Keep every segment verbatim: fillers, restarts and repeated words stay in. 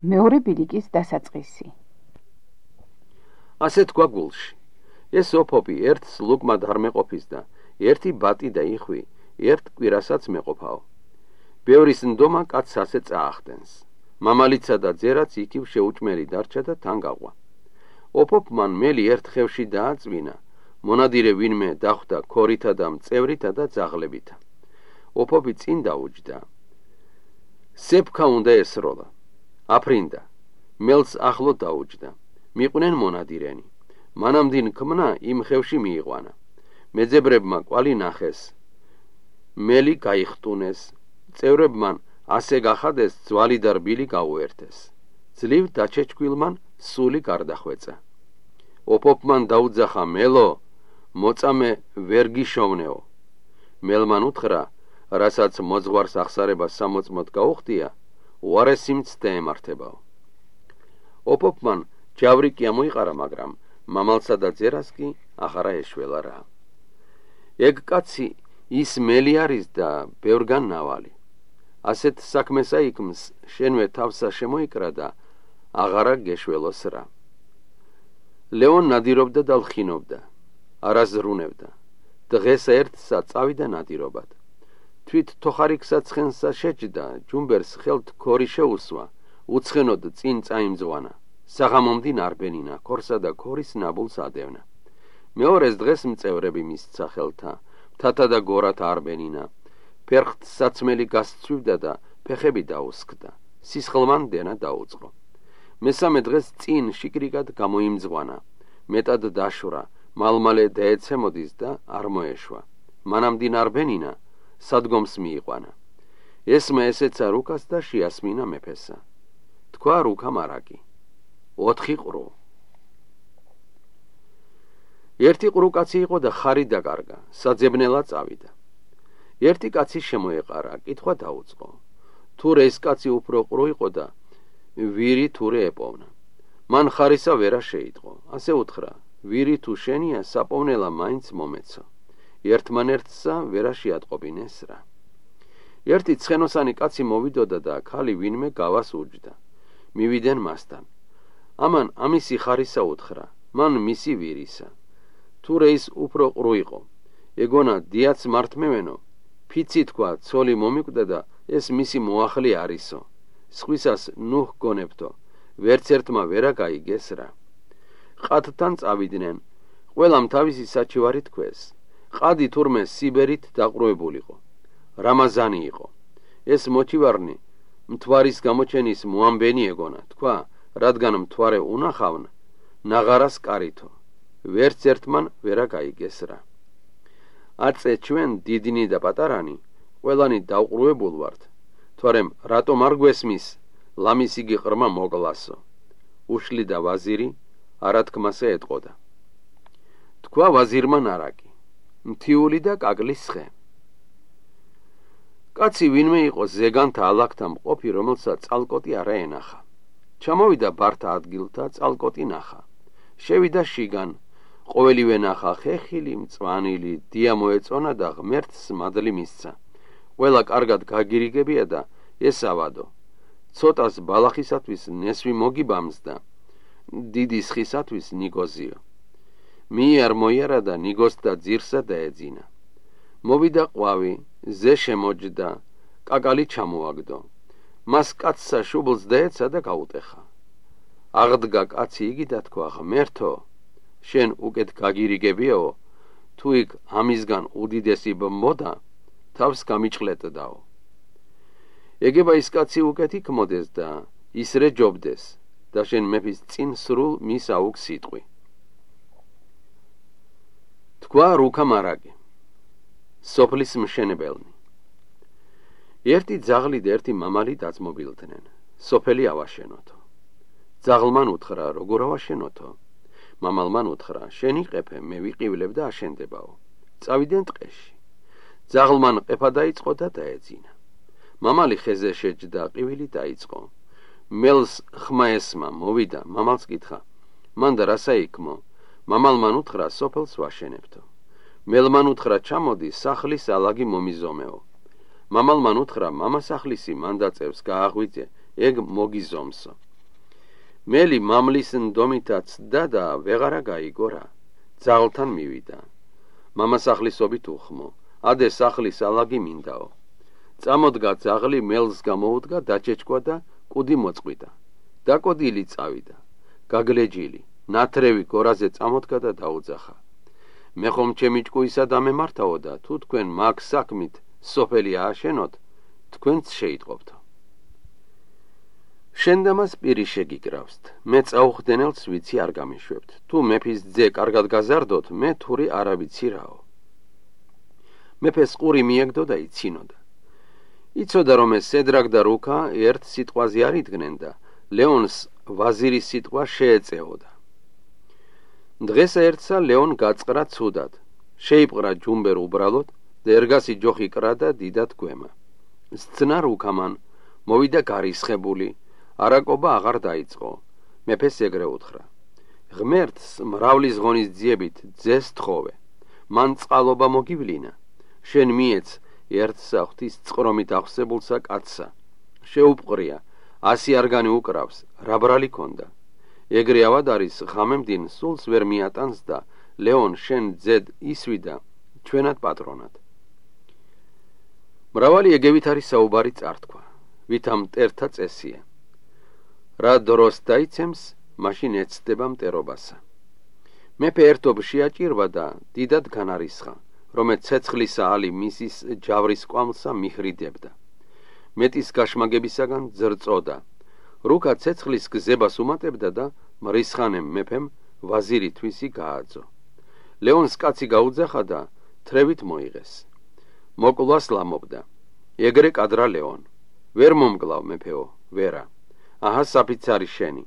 მეორე ბილიკის დასაწყისი. ასე თქვა გულში. ეს ოფოპი ერთს ლუკმად არ მეყოფის და ერთი ბატი და იხვი ერთ კვირასაც მეყოფაო. ბევრის ნდომა კაცს ასე წაახდენს. მამალიცა და ძერაც იქივ შეუჭმელი დარჩა და თან გაყვა. ოფოპმან მელი ერთ ხევში დააწვინა, მონადირე ვინმე დახვდა ქორითა და მწევრითა და ძაღლებითა. ოფოპი წინ დაუჯდა. სეფქა უნდა ესროლა. აფრინდა, მელს ახლო დაუჯდა. მიყვნენ მონადირენი. მანამდინ ქმნა იმ ხევში მიიყვანა. მეძებრებმა კვალი ნახეს. მელი გაიხტუნეს. წევრებმან ასე გახადეს ძვალი და რბილი გაუერთეს. ძლივ დაჩეჩქვილმან სული გარდახვეწა. ოფოპმან დაუძახა მელო, მოწამე ვერ გიშოვნეო. მელმან უთხრა, რასაც მოძღვარს ახსარება სამოწმოდ გაუხდია, უარესი მცდე ემართებაო. ოფოპმან ჯავრი კი ამოიყარა, მაგრამ მამალსა და ძერას კი ახარა ეშველა რა. ეგ კაცი ის მელი არის და ბევრგან ნავალი. ასეთ საქმესა იქმს შენვე თავსა შემოიკრა და აღარა გეშველოს რა. ლეონ ნადირობდა და ლხინობდა, არაზრუნევდა. დღეს ერთსა წავიდა ნადირობად. თვით თოხარიქსა ცხენსა შეჯდა, ჯუმბერს ხელთ ქორი შეუსვა, უცხენოდ წინ წაიმძღვანა. საღამომდინ არბენინა, ქორსა და ქორის ნაბულს ადევნა. მეორეს დღეს მწევრები მისცა ხელთა, მთათა და გორათ არბენინა. ფერხთ საცმელი გასცვივდა და ფეხები დაუსკდა. სისხლმან დენა დაუწყო. მესამე დღეს წინ შიკრიკად გამოიმძღვანა. მეტად დაშვრა, მალმალე დაეცემოდის და არ მოეშვა. მანამდინ არბენინა სადგომს მიიყვანა. ესმა ესეცა რუკას და შეასმინა მეფესა. თქვა რუკა მარაკი. ოთხი ყრუ. ერთი ყრუ კაცი იყო და ხარი დაკარგა, საძებნელა წავიდა. ერთი კაცი შემოეყარა, კითხვა დაუწყო. თურე ეს კაცი უფრო ყრუ იყო და ვირი თურე ეპოვნა. მან ხარისა ვერა შეიტყო. ასე უთხრა, ვირი თუ შენია, საპოვნელა მაინც მომეცო. ერთმანერთსა ვერა შეატყობინეს რა. ერთი ცხენოსანი კაცი მოვიდოდა და ქალი ვინმე გავას უჯდა. მივიდნენ მასთან. ამან ამისი ხარისა უთხრა, მან მისი ვირისა. თურე ის უფრო ყრუ იყო. ეგონა დიაც მართმევენო, ფიცი თქვა, ცოლი მომიკვდა და ეს მისი მოახლე არისო. სხვისას ნუ ჰგონებთო, ვერც ერთმა ვერა გაიგეს რა. ყადთან წავიდნენ, ყველამ თავისი საჩივარი თქვეს. ყადი თურმე სიბერით დაყრუებულიყო. რამაზანი იყო. ეს მოჩივარნი მთვარის გამოჩენის მოამბენი ეგონა, თქვა, რადგან მთვარე უნახავნა, ნაღარას კარითო. ვერც ერთმან ვერა გაიგეს რა. აწე ჩვენ დიდინი და პატარანი, ყველანი დაუყრუებულ ვართ. თორემ რატომ არ გვესმის, ლამის იგი ყრმა მოგლასო. უშლი და ვაზირი არათქმასე ეტყოდა. თქვა ვაზირმა ნარაკი, მთიული და კაკლის ხე. კაცი ვინმე იყო ზეგანთა ალაგთა მყოფი, რომელსაც წალკოტი არა ენახა. ჩამოვიდა ბართა ადგილთა, წალკოტი ნახა. შევიდა შიგან, ყოველივე ნახა ხეხილი, მწვანილი, დია მოეწონა და ღმერთს მადლი მისცა. ყველა კარგად გაგირიგებია და ესავადო. ცოტას ბალახისათვის ნესვი მოგიბამს და დიდი სხისათვის ნიგოზიო. მიარ მოიარა და ნიგოს და ძირსა დაეძინა. მოვიდა ყვავი, ზე შემოჯდა, კაკალი ჩამოაგდო. მას კაცსა შუბლს დაეცა და გაუტეხა. აღდგა კაცი იგი და თქვა, ღმერთო, შენ უკეთ გაგირიგებიაო, თუ იქ ამისგან უდიდესი ბმბოდა, თავს გამიჭყლეტდაო. ეგება ის კაცი უკეთ იქმოდეს და ისრე ჯობდეს და შენ მეფის წინ სრულ მის აუგს სიტყვი. თქვა რუკა მარაკი. სოფლის მშენებელნი. ერთი ძაღლი და ერთი მამალი დაძმობილდნენ. სოფელი ავაშენოთო. ძაღლმან უთხრა, როგორ ავაშენოთო? მამალმან უთხრა, შენ იყეფე, მე ვიყივლებ და აშენდებაო. წავიდნენ ტყეში. ძაღლმან ყეფა დაიწყო და დაეძინა. მამალი ხეზე შეჯდა, ყივილი დაიწყო. მელს ხმა ესმა, მოვიდა, მამალს კითხა, მანდა რასა იქმო? მამალმან უთხრა, სოფელს ვაშენებთო. მელმან უთხრა, ჩამოდი, სახლის ალაგი მომიზომეო. მამალმან უთხრა, მამასახლისი მანდაწევს გააღვიძე, ეგ მოგიზომსო. მელი მამლის ნდომითაც და ვეღარა გაიგორა, ძაღლთან მივიდა. მამასახლისობით უხმო, ადე სახლის ალაგი მინდაო. წამოდგა ძაღლი, მელს გამოუდგა, დაჩეჩქვა და კუდი მოწყვიტა. დაკოდილი წავიდა, გაგლეჯილი, ნათრევი გორაზე წამოდგა და დაუძახა. მე ხომ ჩემი ჭკუისა დამემართაო და თუ თქვენ მაგ საქმით სოფელი ააშენოთ, თქვენც შეიტყობთო. შენდამას პირი შეგიკრავსთ, მე წაუხდენელს ვიცი არ გამიშვებთ. თუ მეფის ძე კარგად გაზარდოთ, მე თური არა ვიცი რაო. მეფეს ყური მიეგდო და იცინოდა. იცოდა რომ ეს სედრაკ და რუქა ერთ სიტყვაზე არ იდგნენ და ლეონს ვაზირის სიტყვა შეეწეოდა. დღესა ერთსა ლეონ გაწყრა ცუდად, შეიპყრა ჯუმბერ უბრალოდ და ერგასი ჯოხი კრა და დიდად გვემა. სცნა რუქამან, მოვიდა გარისხებული, არაკობა აღარ დაიწყო. მეფეს ეგრე უთხრა. ღმერთს მრავლის ღონის ძიებით ძეს თხოვე, მან წყალობა მოგივლინა. შენ მიეც ერთსა ღვთის წყრომით აღსებულსა კაცსა. შეუპყრია, ასი არგანი უკრავს, რა ბრალი ქონდა. ეგრე ავად არის ღამემდინ სულს ვერ მიატანს და ლეონ შენ ძედ ისვიდა ჩვენად პატრონად. მრავალი ეგევით არის საუბარი წართქვა, ვითა მტერთა წესია. რა დროს დაიცემს, მაშინ ეცდება მტერობასა. მეფე ერთობ შეაჭირვა და დიდად განარისხა, რომ ცეცხლისა ალი მისის ჯავრის კვამლსა მიხრიდებდა. მეტის გაშმაგებისაგან ძრწოდა. რუკა ცეცხლის გზებას უმატებდა და მრისხანემ მეფემ ვაზირი თვისი გააძო. ლეონს კაცი გაუძახა და თრევით მოიღეს. მოკლას ლამობდა. ეგრე კადრა ლეონ. ვერ მომკლავ მეფეო, ვერა. აჰა საფიცარი შენი.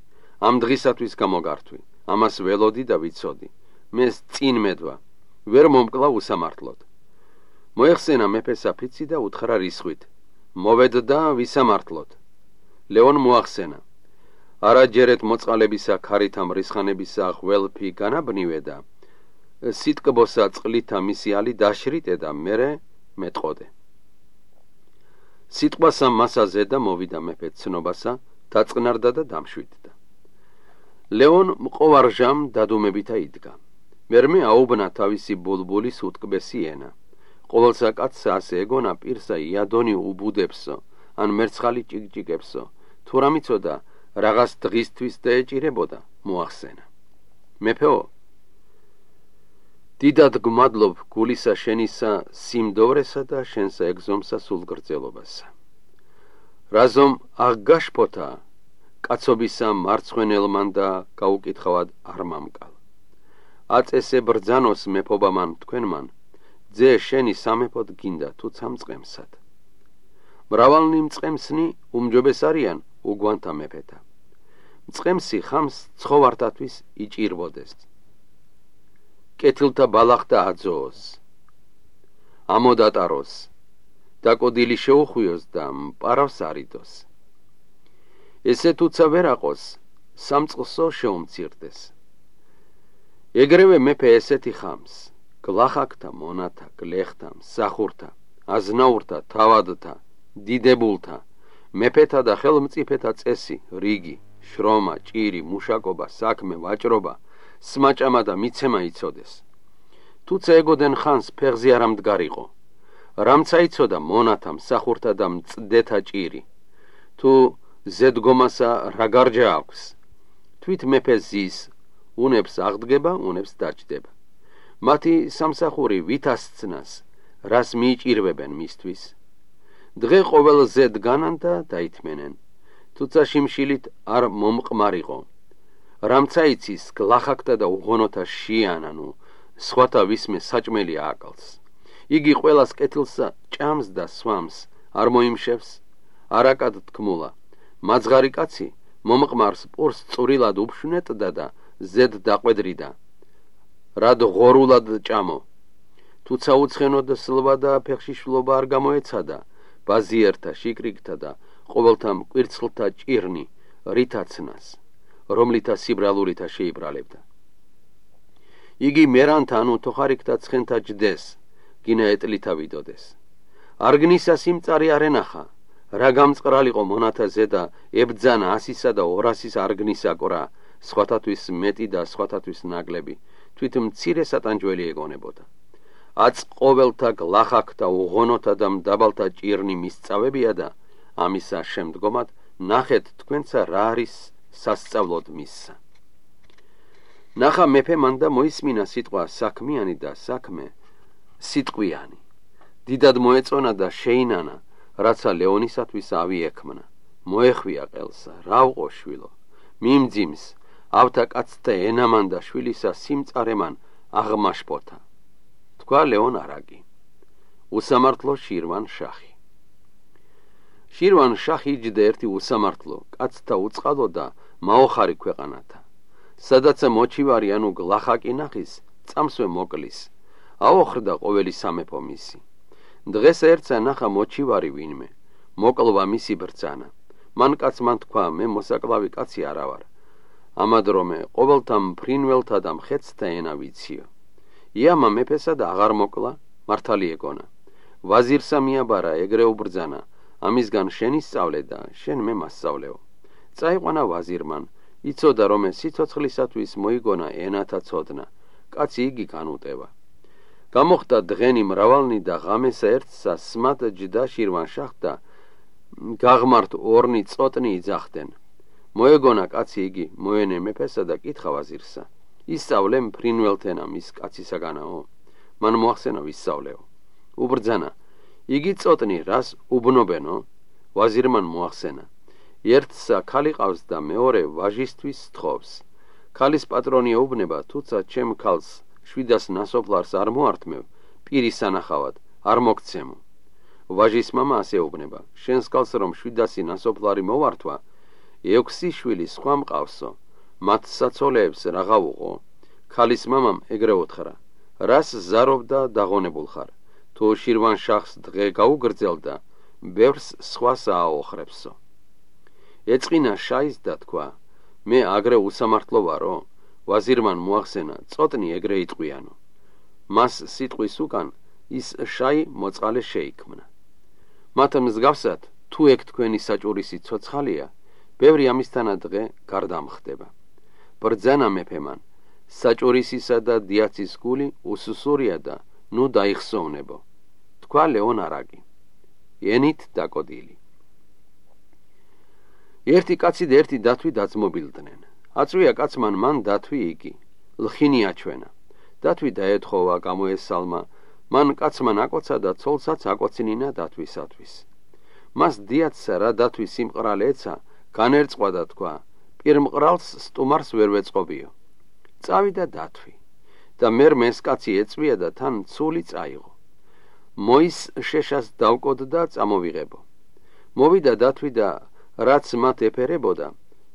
ამ დღისათვის გამოგართვი. ამას ველოდი და ვიცოდი. მეს წინ მედვა. ვერ მომკლავ უსამართლოდ. მოეხსენა მეფე საფიცი და უთხრა რისხვით. მოვედდა ვისამართლოდ. ლეონ მოახსენა. არაჯერეთ მოწყალებისა ქარითა მრისხანებისა ღველფი განაბნივე და სიტკბოსა წყლითა მისი ალი დაშრიტე და მერე მეტყოდე. სიტყვასა მასაზე და მოვიდა მეფე ცნობასა, დაწყნარდა და დამშვიდდა. ლეონ მყოვარჟამ დადუმებითა იდგა. მერმე აუბნა თავისი ბულბულის უტკბესი ენა. ყოველსა კაცსა ასე ეგონა პირსა იადონი უბუდებსო, ან მერცხალი ჭიკჭიკებსო, თუ რა მიცოდა რაღაც დღისთვის და ეჭირებოდა, მოახსენა. მეფეო, დიდად გმადლობ გულისა შენისა სიმდოვრესა და შენსა ეგზომსა სულგრძელობასა. რაზომ აღგაშფოთა კაცობისა მარცხვენელმან და გაუკითხავად არ მამკალ. აწესე ბრძანოს მეფობამან თქვენმან, ძე შენი სამეფოდ გინდა თუ ცამწყემსად. მრავალნი მწყემსნი უმჯობეს არიან უგვანთა მეფეთა. მწყემსი ხამს ცხოვართათვის იჭირვოდეს. კეთილთა ბალახთა აძოოს. ამოდატაროს. დაკოდილი შეუხვიოს და მპარავს არიდოს. ესე თუცა ვერ აყოს, სამწყსო შეუმცირდეს. ეგრევე მეფე ესეთი ხამს, გლახაკთა, მონათა, გლეხთა, მსახურთა, აზნაურთა, თავადთა, დიდებულთა, მეფეთა და ხელმწიფეთა წესი, რიგი, შრომა, ჭირი, მუშაკობა, საქმე, ვაჭრობა, სმაჭამა და მიცემა იცოდეს. თუცა ეგოდენ ხანს ფეხზე არ ამდგარიყო. რამცა იცოდა მონათა, მსახურთა და მწდეთა ჭირი. თუ ზედგომასა რა გარჯა აქვს. თვით მეფე ზის, უნებს აღდგება, უნებს დაჭდება. მათი სამსახური ვითასცნას, რას მიიჭირვებენ მისთვის. დღე ყოველ ზედ განან და დაითმენენ. თუცა შიმშილით არ მომყმარიყო. რამცა იცის გლახაკთა და უღონოთა შიანანუ, სხვათა ვისმე საჭმელი ააკალს. იგი ყველას კეთილსა ჭამს და სვამს, არ მოიმშევს, არაკად თქმულა. მაძღარი კაცი მომყმარს პურს წვრილად უფშვნეტდა და ზედ დაყვედრიდა. რად ღორულად ჭამო. თუცა უცხენოდ სლვა და ფეხშიშვლობა არ გამოეცადა, ბაზიერთა, შიკრიკთა და ყოველთა მკვირცხლთა ჭირნი რითაცნას, რომლითა სიბრალურითა შეიბრალებდა. იგი მერანთა ანუ თოხარიქთა ცხენთა ჯდეს, გინა ეტლითა ვიდოდეს. არგნისა სიმწარი არ ენახა, რა გამწყრალიყო მონათაზე და ებძანა ასისა და ორასის არგნისა ყრა, სხვათათვის მეტი და სხვათათვის ნაკლები, თვით მცირე სატანჯველი ეგონებოდა. აც ყოველთა გლახაკ და უღონოთა და მდაბალთა ჭირნი მისწავებია და ამისა შემდგომად ნახეთ თქვენცა რა არის სასწავლოდ მისსა. ნახა მეფე მან და მოისმინა სიტყვა საქმიანი და საქმე სიტყვიანი. დიდად მოეწონა და შეინანა, რაცა ლეონისათვის ავი ექმნა. მოეხვია ყელსა, რა ვყო შვილო, მიმძიმს, ავთა კაცთა ენამან და შვილისა სიმწარემან აღმაშფოთა. თქვა ლეონ არაგი. უსამართლო შირვან შახი. შირვან შახი იჯდა ერთი უსამართლო, კაცთა უწყალო და მაოხარი ქვეყანათა. სადაც მოჩივარი ანუ გლახაკი ნახის, წამსვე მოკლის, აოხრდა ყოველი სამეფო მისი. დღეს ერთსა ნახა მოჩივარი ვინმე, მოკლვა მისი ბრძანა. მან კაცმან თქვა, მე მოსაკლავი კაცი არა ვარ. ამადრომე ყოველთა მფრინველთა და მხეცთა ენა ვიციო. იამა მეფესა და აღარ მოკლა, მართალი ეგონა. ვაზირსა მიაბარა, ეგრე უბრძანა, ამისგან შენი სწავლე და შენ მე მასწავლეო. წაიყვანა ვაზირმან, იცოდა რომ სიცოცხლისათვის მოიგონა ენათა ცოდნა, კაცი იგი განუტევა. გამოხდა დღენი მრავალნი და ღამესა ერთსა სმად ჯდა შირვან შახ და გაღმართ ორნი წოტნი იძახდნენ. მოეგონა კაცი იგი, მოენე მეფესა და კითხა ვაზირსა. ისწავლე მფრინველთენა მის კაცისაგანაო, მან მოახსენა ვისწავლეო. უბრძანა, იგი წოტნი რას უბნობენო? ვაზირმან მოახსენა. ერთსა ქალი ყავს და მეორე ვაჟისთვის სთხოვს. ქალის პატრონი ეუბნება, თუცა ჩემ ქალს შვიდას ნასოფლარს არ მოართმევ, პირის სანახავად არ მოგცემო. ვაჟის მამა ასე ეუბნება, შენს ქალს რომ შვიდასი ნასოფლარი მოვართვა, ექვსი შვილი სხვა მყავსო, მათ საცოლეებს რაღა უყო. ქალის მამამ ეგრე უთხრა, რას ზარობ და დაღონებულ ხარ, თუ შირვან შახს დღე გაუგრძელდა, ბევრს სხვას ააოხრებსო. ეწყინა შაის და თქვა, მე აგრე უსამართლო ვარო? ვაზირმან მოახსენა, წოტნი ეგრე იტყვიანო. მას სიტყვის უკან ის შაი მოწყალე შეიქმნა. მათ მსგავსად, თუ ეგ თქვენი საჭურისი ცოცხალია, ბევრი ამისთანა დღე გარდამხდება. ბრძანა მეფემან, საჭურისისა და დიაცის გული უსუსურია და ნუ დაიხსოვნებო. თქვა ლეონ არაგი. ენით დაკოდილი. ერთი კაცი და ერთი დათვი დაძმობილდნენ. აწვია კაცმან მან დათვი იგი, ლხინი აჩვენა. დათვი დაეთხოვა, გამოესალმა, მან კაცმან აკოცა და ცოლსაც აკოცინინა დათვისათვის. მას დიაცსა რა დათვი სიმყრალე ეცა, განერწყვა და თქვა, პირმყრალს სტუმარს ვერ ვეწყობიო. წავიდა დათვი და მერმე ეს კაცი ეწვია და თან ცული წაიღო. მოის შეშას დავკოდდა წამოვიღებო. მოვიდა დათვი და რაც მათ ეფერებოდა,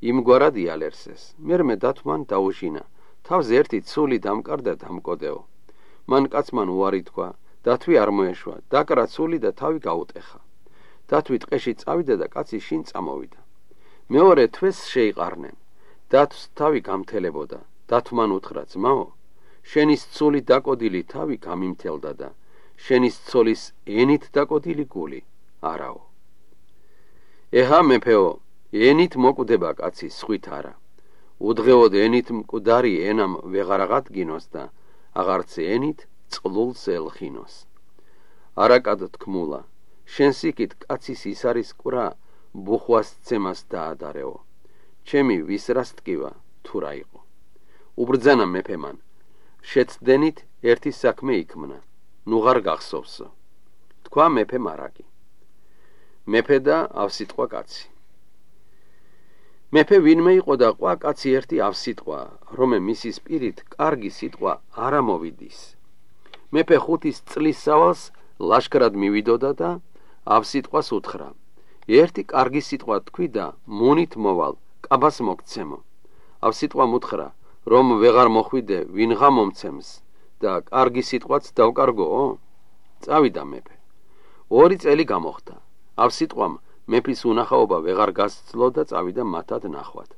იმგვარად იალერსეს. მერმე დათვმან დაუჟინა, თავს ერთი ცული დამკარდა დამკოდეო. მან კაცმან უარი თქვა, დათვი არ მოეშვა, დაკრა ცული და თავი გაუტეხა. დათვი ტყეში წავიდა და კაცი შინ წამოვიდა. მეორე თვეს შეიყარნენ. დათვს თავი გამთელებოდა. დათვმან უთხრა, ძმაო, შენის ცული დაკოდილი თავი გამიმთელდა და შენის ცოლის ენით დაკოდილი გული არაო. ეჰა მეფეო, ენით მოკვდება კაცი, სხვით არა. უდღეოდ ენით მკვდარი ენამ ვეღარ აღადგინოს და აღარც ენით წყლულს ელხინოს. არაკად თქმულა, შენს იქით კაცის ის არის ყვრა, ბუხვას ცემას დაადარეო. ჩემი ვის რას ტკივა, თუ რა იყო. უბრძანა მეფემან, შეცდენით ერთი საქმე იქმნა, ნუ ღარ გახსოვსო. თქვა მეფე მარაკი. მეფე და ავსიტყვა კაცი. მეფე ვინმე იყო და ყვა კაცი ერთი ავსიტყვა, რომე მისის პირით კარგი სიტყვა არ ამოვიდის. მეფე ხუთის წლის სავალს ლაშქრად მივიდოდა და ავსიტყვას უთხრა, ერთი კარგი სიტყვა თქვი და მონით მოვალ, კაბას მოგცემო. ავსიტყვამ უთხრა, რომ ვეღარ მოხვიდე, ვინღა მომცემს და კარგი სიტყვაც დავკარგოო. წავიდა მეფე. ორი წელი გამოხდა. ავსიტყვამ მეფის უნახაობა ვეღარ გასცლო და წავიდა მათად ნახვად.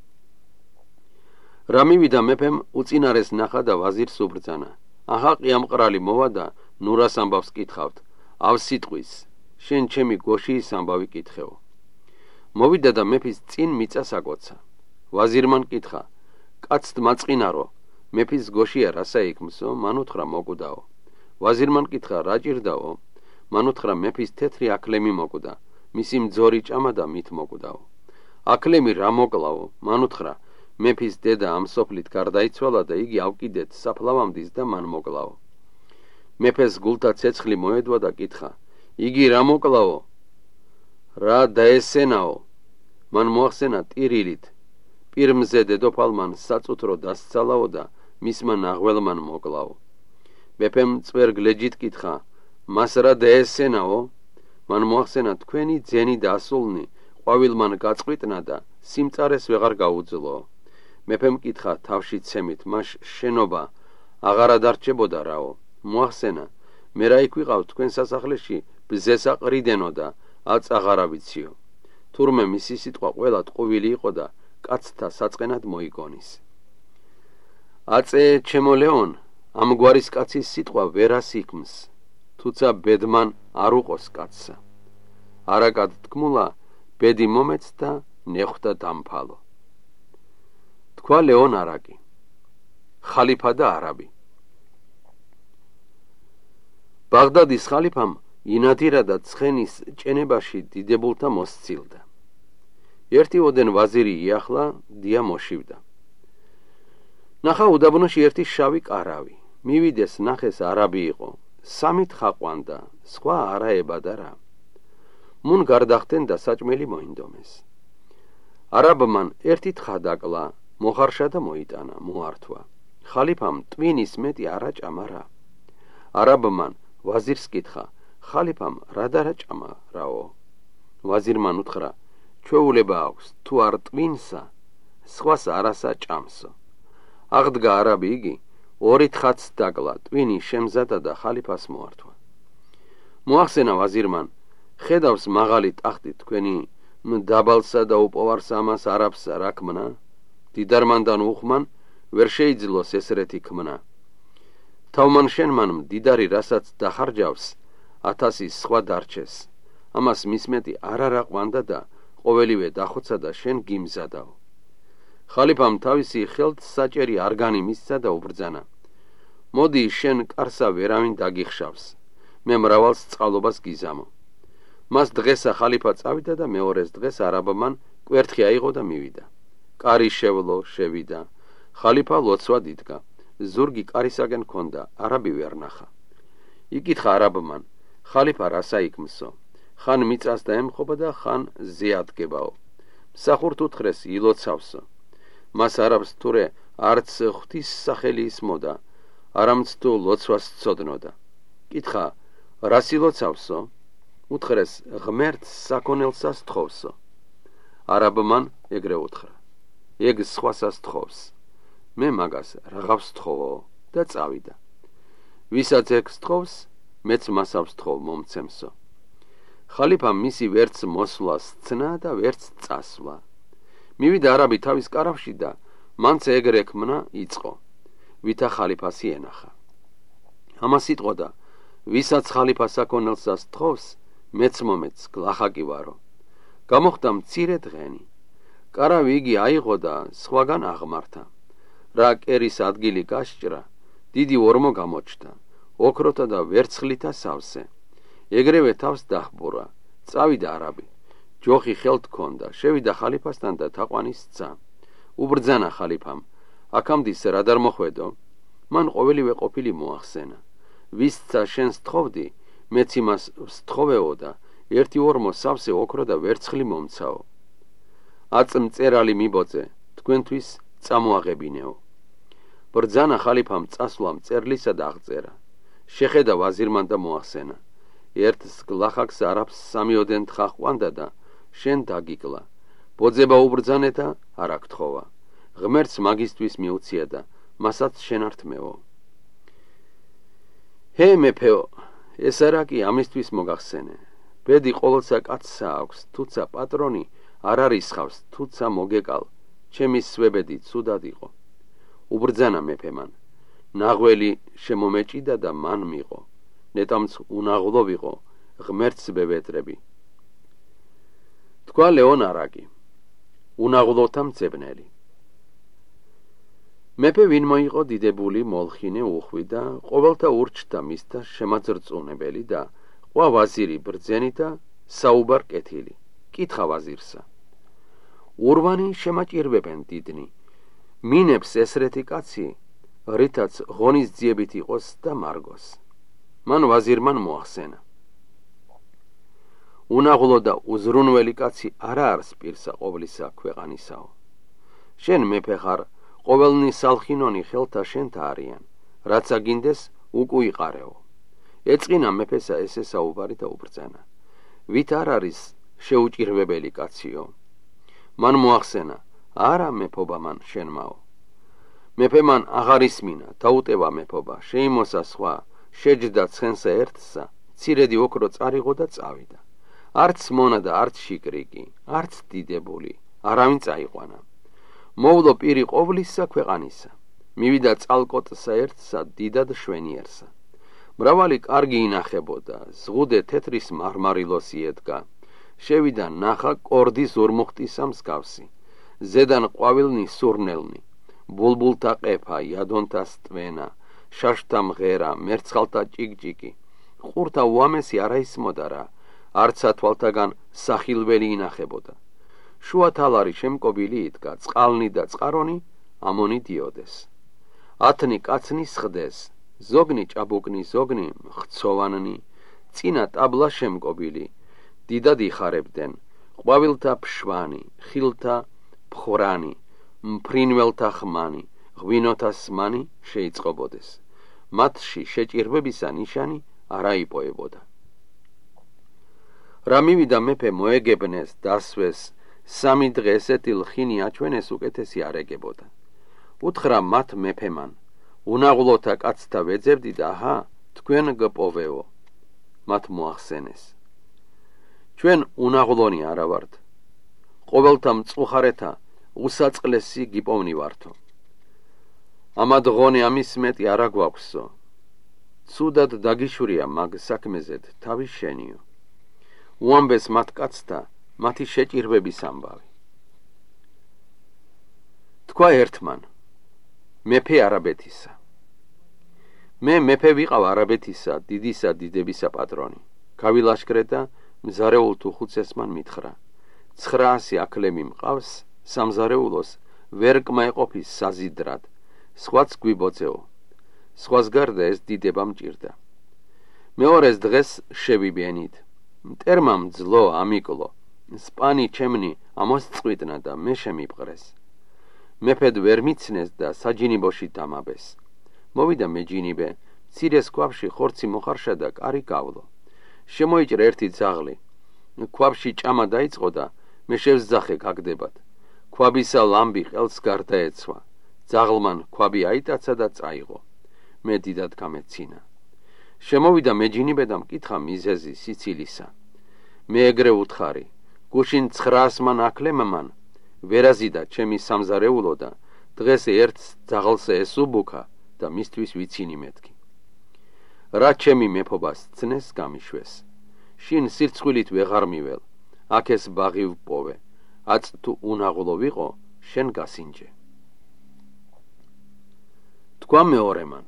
რა მივიდა მეფემ უწინარეს ნახა და ვაზირს უბრძანა, აჰა ყიამყრალი მოვა და ნურას ამბავს კითხავთ, ავსიტყვის, შენ ჩემი გოშიის ამბავი კითხეო. მოვიდა და მეფის წინ მიწას აკოცა. ვაზირმა კითხა: კაცთ მაწყინარო, მეფის გოშია რასა იქმსო? მან უთხრა: მოკვდაო. ვაზირმა კითხა: რა ჭირდაო? მან უთხრა: მეფის თეთრი აკლემი მოკვდა, მისი მძორი ჭამა და მით მოკვდაო. აკლემი რა მოკლაო? მან უთხრა: მეფის დედა ამ სოფლით გარდაიცვალა და იგი ავკიდეთ საფლავამდის და მან მოკლაო. მეფეს გულთა ცეცხლი მოედვა და კითხა: იგი რა მოკლაო? რა დაესენაო? მან მოახსენა ტირილით. პირმზე დედოფალმან საწუთრო დასცალაო და მისმა ნაღველმან მოკლაო. მეფემ წვერ გლეჯით კითხა: მას რა დაესენაო? მან მოახსენა თქვენი ძენი და ასულნი ყვავილმან გაწყვიტნა და სიმწარეს ვეღარ გაუძლო. მეფემ კითხა: თავში ცემით, მას შენობა აღარა დარჩებოდა რაო? მოახსენა: მე რა იქ ვიყავ თქვენ სასახლეში ბზეს აყრიდენო და აწ აღარა ვიციო. თურმე მისი სიტყვა ყველა ტყუვილი იყო და კაცთა საწყენად მოიგონის. აწე ჩემო ლეონ, ამ გვარის კაცის სიტყვა ვერას იქმს, თუცა ბედმან არ უყოს კაცსა. არაკად თქმულა, ბედი მომეც და ნეხვდა დამფალო. თქვა ლეონ არაკი, ხალიფა და არაბი. ბაღდადის ხალიფამ ინადირა და ცხენის ჭენებაში დიდებულთა მოსცილდა. ერთი ოდენ ვაზირი იახლა დია მოშივდა. ნახა უდაბნოში ერთი შავი კარავი. მივიდეს ნახეს არაბი იყო, სამით ხაყვანდა, სხვა არა ებადა რა. მუნ გარდახტენ და საჭმელი მოინდომეს. არაბმან ერთი თხა დაკლა, მოხარშა და მოიტანა, მოართვა. ხალიფამ ტვინის მეტი არა ჭამა რა. არაბმან ვაზირს კითხა: ხალიფამ რა დარა ჭამა რაო? ვაზირმან უთხრა: ჩვეულება აქვს, თუ არ ტვინსა, სხვას არასა ჭამსო. აღდგა არაბი იგი, ორი თხაც დაკლა, ტვინი შემზადა და ხალიფას მოართვა. მოახსენა ვაზირმან: ხედავს მაღალი ტახტი თქვენი დაბალსა და უპოვარს ამას არაბსა რა ქმნა? დიდარმანდან უხმან ვერ შეიძლოს ესრეთი ქმნა. თავმან შენმან მდიდარი რასაც დახარჯავს, ათასი სხვა დარჩეს. ამას მისმეტი არ არა ყვანდა და ყოველივე დახოცა და შენ გიმზადაო. ხალიფამ თავისი ხელთ საჭერი არგანი მისცა და უბრძანა: მოდი შენ კარსა ვერავინ დაგიხშავს, მე მრავალს წყალობას გიზამო. მას დღესა ხალიფა წავიდა და მეორეს დღეს არაბმან კვერთხი აიღო და მივიდა. კარი შევლო, შევიდა. ხალიფა ლოცვად იდგა. ზურგი კარისაგენ ქონდა, არაბი ვერ ნახა. იკითხა არაბმან: ხალიფა რასა იქმსო? ხან მიწას დაემხობა და ხან ზეადგებაო. მსახურთ უთხრეს ილოცავსო. მას არაბს თურე არც ღვთის სახელი ისმოდა, არამც თუ ლოცვას ცოდნოდა. კითხა: რას ილოცავსო? უთხრეს: ღმერთს საქონელსას თხოვსო. არაბმან ეგრე უთხრა: ეგ სხვასას თხოვს, მე მაგას რაღაცს თხოვო და წავიდა. ვისაც ეგს თხოვს, მეც მასავს თხოვ მომცემსო. ხალიფამ მისი ვერც მოსვლას ცნა და ვერც წასვლა. მივიდა არაბი თავის კარავში და მანც ეგრე ქმნა იწყო, ვითა ხალიფას იენახა. ამას იტყოდა: ვისაც ხალიფა საქონელსას თხოვს, მეც მომეც გლახაკი ვარო. გამოხდა მცირე დღენი. კარავი იგი აიღო და სხვაგან აღმართა. რა კერის ადგილი გასჭრა, დიდი ორმო გამოჩნდა, ოქროთა და ვერცხლითა სავსე. ეგრევე თავს დახბურა. წავიდა არაბი. ჯოხი ხელთ ქონდა, შევიდა ხალიფასთან და თაყვანის სცა. უბრძანა ხალიფამ: აქამდის რა არ მოხვედო? მან ყოველივე ყოფილი მოახსენა. ვისცა შენს თხოვდი, მეც იმას ვსთხოვეო და ერთი ორმო სავსე ოქრო და ვერცხლი მომცაო. აწ მწერალი მიბოწე, თქვენთვის წამოაღებინეო. ბრძანა ხალიფამ წასვლა მწერლისა და აღწერა. შეხედა ვაზირმან და მოახსენა: ერთს გლახაკს არაბს სამიოდენ თხა ყვანდა და შენ დაგიკლა. ბოძება უბრძანე და არ აკთხოვა. ღმერთს მაგისტვის მიუცია და მასაც შენ არ თმეო. ჰე მეფეო, ეს არა კი ამისთვის მოგახსენე. ბედი ყოველსა კაცსა აქვს, თუცა პატრონი არ არისხავს, თუცა მოგეკალ, ჩემი სვებედი ცუდად იყო. უბრძანა მეფემან: ნაღველი შემომეჭიდა და მან მიყო, ნეტამც უნაღლო ვიყო, ღმერთს ბევეტრები. თქვა ლეონარაკი, უნაღლოთა მძებნელი. მეფე ვინ მოიყო დიდებული მოლხინე უხვი და ყოველთა ურჩთა მისთა შემაძრწუნებელი და ყვა ვაზირი ბრძენი და საუბარ კეთილი. კითხა ვაზირსა. ურვანი შემაჭირვებენ დიდნი. მინებს ესრეთი კაცი, რითაც ღონისძიებით იყოს და მარგოს. მან ვაზირმან მოახსენა. უნაღლო და უზრუნველი კაცი არა არის პირსა ყოვლისა ქვეყანისაო. შენ მეფე ხარ, ყოველნი სალხინონი ხელთა შენთა არიან, რაც აგინდეს უკუიყარეო. ეწყინა მეფესა ესე საუბარი და უბრძანა. ვით არ არის შეუჭირვებელი კაციო. მან მოახსენა, არა მეფობა მან შენმაო. მეფე მან აღარ ისმინა, დაუტევა მეფობა, შეიმოსა სხვა, შეჯდა ცხენსა ერთსა, ცირედი ოქრო წარიღო და წავიდა. არც მონა და არც შიკრიკი, არც დიდებული, არავინ წაიყვანა. მოვლო პირი ყოვლისა ქვეყანისა, მივიდა წალკოტსა ერთსა, დიდად შვენიერსა. მრავალი კარგი ინახებოდა, ზღუდე თეთრის მარმარილოსი ედგა, შევიდა ნახა კორდი ზურმუხტისა მსგავსი, ზედან ყვავილნი სურნელნი, ბულბულთა ყეფა, იადონთა სტვენა, შაშთა მღერა, მერცხალთა ჭიკჭიკი, ყურთა უამესი არა ისმოდა რა, არცა თვალთაგან სახილველი ინახებოდა. შუა თალარი შემკობილი იდგა, წყალნი და წყარონი ამონი დიოდეს. ათნი კაცნი სხდეს, ზოგნი ჭაბუკნი, ზოგნი ხცოვანნი, წინა ტაბლა შემკობილი, დიდად იხარებდნენ, ყვავილთა ფშვანი, ხილთა ფხრანი, მფრინველთა ხმანი, ღვინოთა სმანი შეიწყობოდეს. მათში შეჭირვებისა ნიშანი არა იპოებოდა. რა მივიდა მეფე მოეგებნეს, დასვეს, სამი დღე ესეთი ლხინი აჩვენეს უკეთესი არ ეგებოდა. უთხრა მათ მეფემან, უნაღლოთა კაცთა ვეძებდი და ჰა, თქვენ გპოვეო. მათ მოახსენეს. ჩვენ უნაღლონი არა ვართ. ყოველთა მწუხარეთა უსაწყლესი გიპოვნი ვართო. ამად ღონე ამის მეტი არა გვაქვსო. ცუდად დაგიშვია მაგ საქმეზედ თავი შენიო. უამბეს მათ კაცთა მათი შეჭირვების ამბავი. თქვა ერთმან, მეფე არაბეთისა. მე მეფე ვიყავ არაბეთისა, დიდისა დიდებისა პატრონი. გავილაშქრე და მზარეულ თუხუცესმან მითხრა. ცხრაასი აკლემი მყავს, სამზარეულოს ვერ კმაეყოფის საზიდრად, სხვაც გვიბოძეო. სხვას გარდა ეს დიდება მჭირდა. მეორეს დღეს შევიბენით. მტერმა მძლო ამიკლო. სპანი ჩემნი ამას წვიტნა და მე შემიპყრეს. მეფედ ვერ მიცნეს და საჯინიბოში დამაბეს. მოვიდა მეჯინიბე, მცირეს ქვაბში ხორცი მოხარშა და კარი გავლო. შემოიჭრა ერთი ძაღლი. ქვაბში ჭამა დაიწყო და მე შევზახე გაგდებად. ქვაბისა ლამბი ყელს გარდაეცვა. ძაღლმან ქვაბი აიტაცა და წაიღო. მე დიდად გამეცინა. შემოვიდა მეჯინიბე და მკითხა მიზეზი სიცილისა. მე ეგრე უთხარი, გუშინ ცხრაასმან აკლემმან ვერაზიდა ჩემი სამზარეულო და დღეს ერთ ძაღლს ესუბუქა და მისთვის ვიცინი მეთქი. რა ჩემი მეფობას ცნეს გამიშვეს. შინ სირცხვილით ვეღარ მიվել, აქ ეს ბაღი ვპოვე, აც თუ უნაღლო ვიყო, შენ გასინჯე. თქვა მეორემან,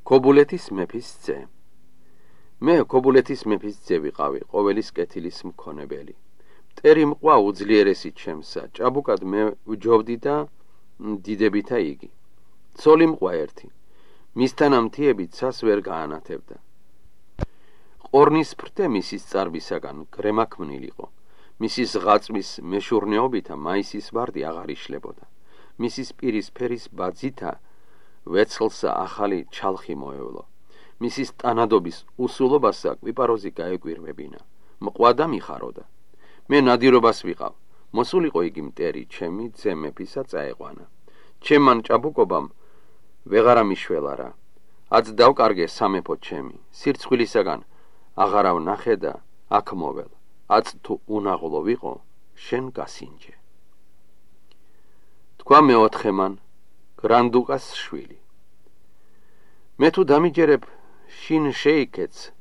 ქობულეთის მეფის ძე. მე ქობულეთის მეფის ძე ვიყავი, ყოველის კეთილის მქონებელი. მტერი მყვა უძლიერესი ჩემსა, ჭაბუკად მე ვჯობდი და დიდებითა იგი. ცოლი მყვა ერთი, მისთან ამთიები ცას ვერ გაანათებდა. ყორნის ფრთე მისის წარბისაგან გრემაქმნილიყო. მისის ღაწვის მეშურნეობითა მაისის ვარდი აღარ იშლებოდა. მისის პირის ფერის ბაძითა ვეცლსა ახალი ჩალხი მოევლო. მისის ტანადობის უსულობასა კვიპაროზი გაეკვირვებინა. მყვა და მიხაროდა. მე ნადირობას ვიყავ. მოსულიყო იგი მტერი ჩემი ძე მეფისა წაეყვანა. ჩემან ჭაბუკობამ ვეღარა მიშველა რა. აც დავკარგე სამეფო ჩემი. სირცხვილისაგან აღარა ვნახე და აქ მოվել. აც თუ უნაღლო ვიყო, შენ გასინჯე. თქვა მეოთხემან, გრანდუკას შვილი. მე თუ დამიჯერებ შინ შეიქეც,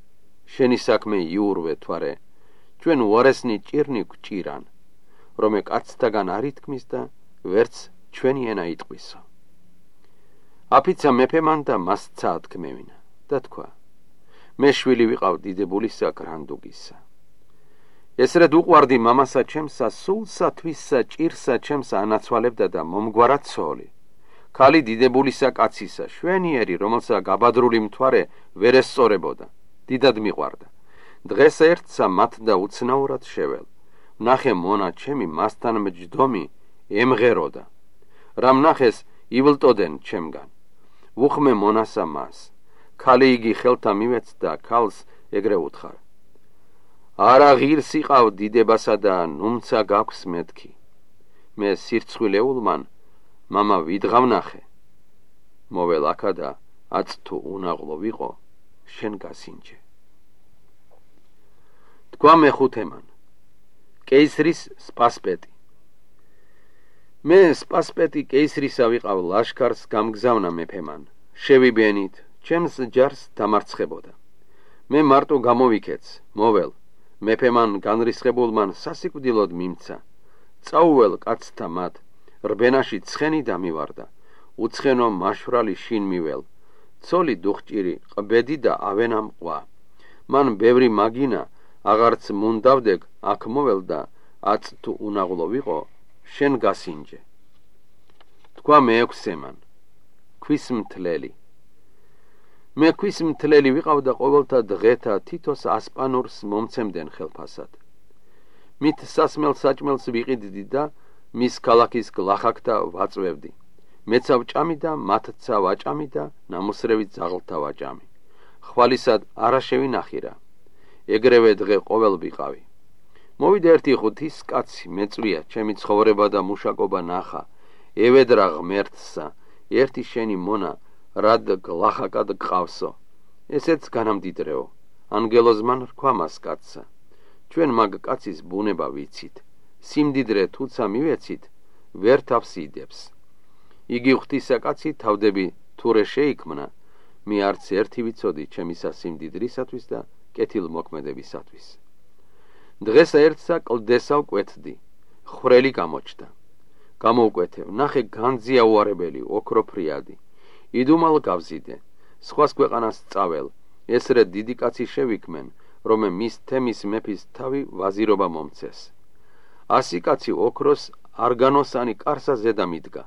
შენი საქმე იურვე თვარე, ჩვენ უარესნი ჭირნი გვჭირან, რომე კაცთაგან არ ითქმის და ვერც ჩვენი ენა იტყვისო. აფიცა მეფემან და მასცა ათქმევინა და თქვა: მე შვილი ვიყავ დიდებულისა გრანდუგისა. ესრედ უყვარდი მამასა ჩემსა, სულსა თვისსა ჭირსა ჩემსა ანაცვალებდა და მომგვარა ცოლი. ქალი დიდებულისა კაცისა, შვენიერი, რომელსა გაბადრული მთვარე ვერ ესწორებოდა, დიდად მიყვარდა. დღეს ერთსა მათ და უცნაურად შეվել. ნახე მონა ჩემი მასთან მჯდომი ემღეროდა. რამ ნახეს ივლტოდენ ჩემგან. ვუხმე მონასა მას. ქალი იგი ხელთა მივეცდა ქალს ეგრე უთხარ: არა ღირს იყავ დიდებასა და ნუმცა გაქვს მეთქი. მე სირცხვილეულმან მამა ვიდღავნახე. მოվել აქა და აც თუ უნაღლო ვიყო, შენ გასინჯე. თქვა მეხუთემან: კეისრის სპასპეტი. მე სპასპეტი კეისრისა ვიყავ ლაშქარს გამგზავნა მეფემან. შევიბენით, ჩემს ჯარს დამარცხებოდა. მე მარტო გამოვიქეც, მოվել. მეფემან განრისხებულმან სასიკვდილოდ მიმცა. წაუվել კაცთა მათ, რბენაში ცხენი დამივარდა. უცხენო მაშვრალი შინ მიվել. ცოლი დუხჭირი, ყბედი და ავენა მყვა. მან ბევრი მაგინა აღარც მუნდავდეგ აქ მოվել და აც თუ უნაღლო ვიყო, შენ გასინჯე. თქვა მეექვსემან: ქვის მთლელი. მე ქვის მთლელი ვიყავ და ყოველთა დღეთა თითოს ასპანურს მომცემდნენ ხელფასად. მით სასმელ საჭმელს ვიყიდდი და მის ქალაქის გლახაკთა ვაწვევდი. მეცა ვჭამი და მათცა ვაჭამი და ნამოსრევი ძაღლთა ვაჭამი. ხვალისად არა შევინახირა. ეგრევე დღე ყოველ ვიყავი. მოვიდა ერთი ღვთის კაცი, მეწვია, ჩემი ცხოვრება და მუშაკობა ნახა. ევედრა ღმერთსა, ერთი შენი მონა რად გლახაკად გყავსო. ესეც განამდიდრეო. ანგელოზმან რქვა მას კაცსა: ჩვენ მაგ კაცის ბუნება ვიცით. სიმდიდრე თუცა მივეცით, ვერ თავს იდებს. იგი ღვთისა კაცი თავდები თურე შეიქმნა, მე არც ერთი ვიცოდი ჩემისა სიმდიდრისათვის და კეთილმოქმედებისათვის. დღესა ერთსა კლდესა ვკვეთდი, ხვრელი გამოჩნდა. გამოვკვეთევ, ნახე განძია უარებელი, ოქროფრიადი. იდუმალ გავზიდე, სხვას ქვეყანას წაվել. ესრე დიდი კაცი შევიქმენ, რომე მის თემის მეფის თავი ვაზირობა მომცეს. ასი კაცი ოქროს არგანოსანი კარსა ზედა მიდგა.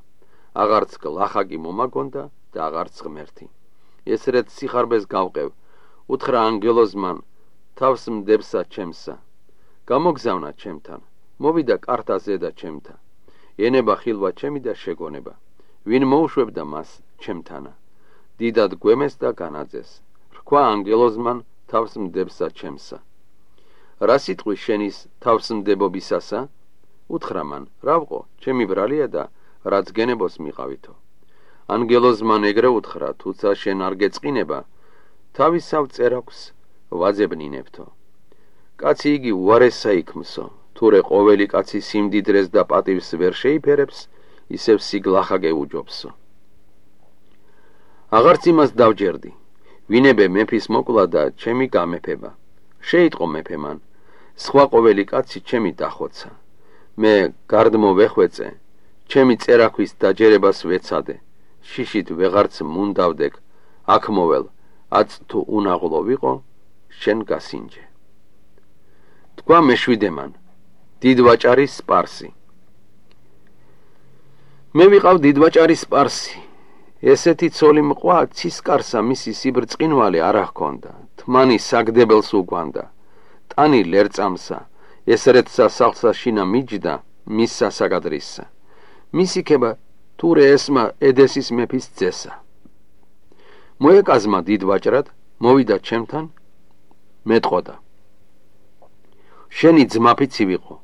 აღარც გლახაკი მომაგონდა და აღარც ღმერთი. ესრედ სიხარბეს გავყევ, უთხრა ანგელოზმან: თავს მდებსა ჩემსა. გამოგზავნა ჩემთან, მოვიდა კარტა ზედა ჩემთა. ენება ხილვა ჩემი და შეგონება. ვინ მოუშვებდა მას ჩემთანა. დიდად გვემეს და განაძეს. რქვა ანგელოზმან: თავს მდებსა ჩემსა. რა სიტყვის შენის თავს მდებობისასა? უთხრა მან: რა ვყო, ჩემი ბრალია და რაც გენებოს მიყავითო. ანგელოზმან ეგრე უთხრა: თუცა შენ არ გეწყინება, თავისავ წერაქვს ვაძებნინებთო. კაცი იგი უარესა იქმსო. თურე ყოველი კაცი სიმდიდრეს და პატივს ვერ შეიფერებს, ისევ სიგლახა გეუჯობსო. აღარც იმას დავჯერდი. ვინებე მეფის მოკლა და ჩემი გამეფება. შეიტყო მეფემან: სხვა ყოველი კაცი ჩემი დახოცა. მე გარდმო ვეხვეწე, ჩემი წერაქვის დაჯერებას ვეცადე. შიშით ვეღარც მუნდავდეკ, აქ მოվել, აც თუ უნაღლო ვიყო, შენ გასინჯე. თქვა მეშვიდემან: დიდვაჭარის სპარსი. მე ვიყავ დიდვაჭარის სპარსი. ესეთი ცოლი მყვა, ცისკარსა მისი სიბრწყინვალე არა ჰქონდა. თმანი საგდებელს უგვანდა. ტანი ლერწამსა, ესრეთსა სახლსა შინა მიჯდა, მის სასაგადრისსა. მისი ქება თურე ესმა ედესის მეფის ძესა. მოეკაზმა დიდვაჭრად, მოვიდა ჩემთან, მეტყოდა: შენი ძმაფიცი ვიყო,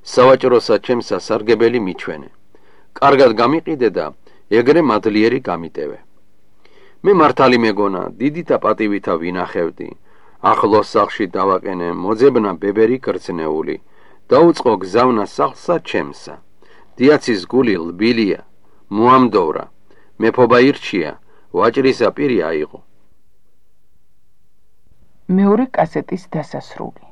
სავაჭროსა ჩემსა სარგებელი მიჩვენე. კარგად გამიყიდე და ეგრე მადლიერი გამიტევე. მე მართალი მეგონა, დიდითა პატივითა ვინახევდი. ახლო სახლში დავაყენე მოძებნა ბებერი გრძნეული. დაუწყო გზავნა სახლსა ჩემსა. დიაცის გული ლბილია, მოამდოვრა. მეფობა ირჩია, ვაჭრისა პირი აიღო. მეორე კასეტის დასასრული.